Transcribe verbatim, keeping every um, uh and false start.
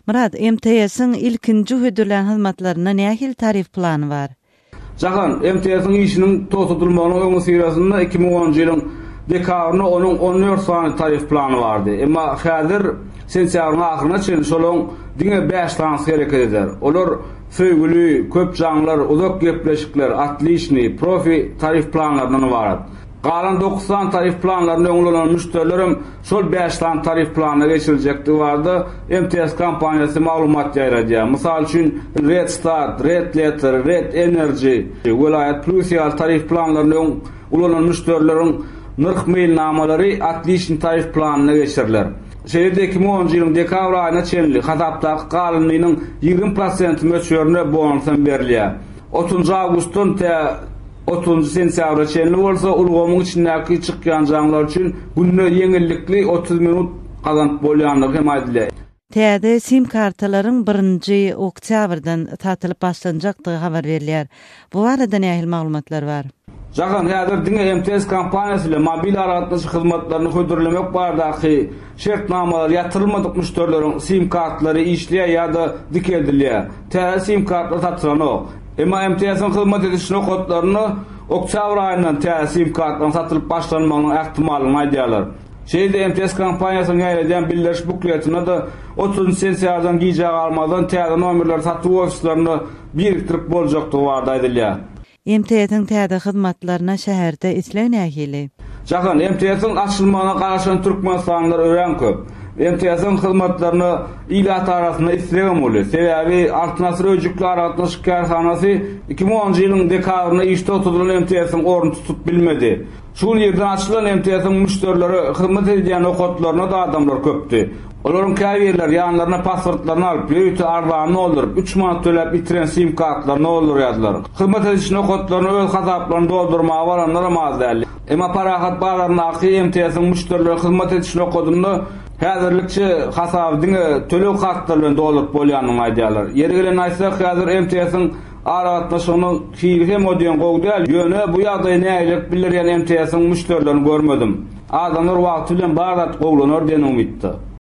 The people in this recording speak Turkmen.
Myrat, M T S-iň ilkinji hödürlän hyzmatlarynda nähili tarif plany bar? Jahan, M T S-iň işiniň togtadylmagynyň öňüsyrasynda iki müň onunjy ýylyň dekabrynda onuň on dört sany tarif plany bardy. Emma häzir sentýabryň ahyryna çenli şolaryň diňe bäş sanysy hereket eder. Olar Söýgüli, Köp jaňlar, Uzak gepleşikler, Отличный, Profi tarif planlaryndan ybarat. Galan dokuz sany tarif planlaryny öň ulanan müşderilerem şol bäş sany tarif planyna geçiriljekdigi barada M T S kompaniýasy maglumat ýaýradýar. Mysal üçin, Red Start, Red Letter, Red Energy, Welaýat Plus ýaly tarif planlaryny öň ulanan müşderileriň nyrh meýilnamalary Отличный tarif planyna geçiriler. Şeýle-de iki müň onunjy ýylyň dekabr aýyna çenli hasapdaky galyndynyň ýigrimi prosent möçberine bonus hem berilýär. otuzynjy awgustdan tä otuzynjy sentýabra çenli bolsa ulgamyň içindäki çykýan jaňlar üçin günde ýeňillikli otuz minut gazanyp bolýandygy hem aýdylýar. Täze sim kartalaryň birinji oktýabrdan satylyp başlanjakdygy habar berilýär. Bu barada nähili maglumatlar bar? Jahan, häzir diňe M T S kompaniýasy bilen mobil aragatnaşyk hyzmatlaryny hödürlemek baradaky şertnamalar ýatyrylmadyk müşderileriň sim kartlary işleýär ýa-da dikeldilýär. Täze sim kartlar satylanok. Emma M T S-iň hyzmat ediş nokatlarynda oktýabr aýyndan täze sim kartlaryň satylyp başlanmagynyň ähtimallygyny aýdýarlar. Şeýle M T S kompaniýasynyň ýaýradýan bildiriş bukletinde-de otuzynjy sentýabrdan gijä galmazdan täze nomerleri satuw ofislerinde birikdirip boljakdygy barada aýdylýar. M T S-iň täze hyzmatlaryna şäherde isleg nähili? Jahan, M T S-iň açylmagyna garaşan türkmenistanlylar örän köp. M T S-iň hyzmatlaryna ilat arasynda islegem uly. Sebäbi Altyn Asyr öýjükli aragatnaşyk kärhanasy iki müň onunjy ýylyň dekabrynda işde oturdylan M T S-iň ornuny tutup bilmedi. Şu ýerden açylan M T S-iň müşderilere hyzmat edýän nokatlaryna-da adamlar köpdi. Olaryň käbirleri ýanlaryna pasportlaryny alyp, ýörite arzanyny dolduryp, üç manat töläp ýitiren sim kartlaryny doldurýardylar. Hyzmat ediş nokatlaryny öz hasaplaryny doldurmaga baranlar az däl. Emma Parahat bazaryndaky M T S-iň müşderilere hyzmat ediş nokadynda häzirlikçe hasaby diňe töleg kartlary bilen dolduryp bolýanyny aýdýarlar. Ýeri gelen aýtsak, häzir M T S-iň aragatnaşygynyň hili hem o diýen gowy däl. Ýöne bu ýagdaýy nägilelik bildirýän M T S-iň müşderilerini görmedim. Adamlar wagty bilen bar zat gowlanar diýen umytda.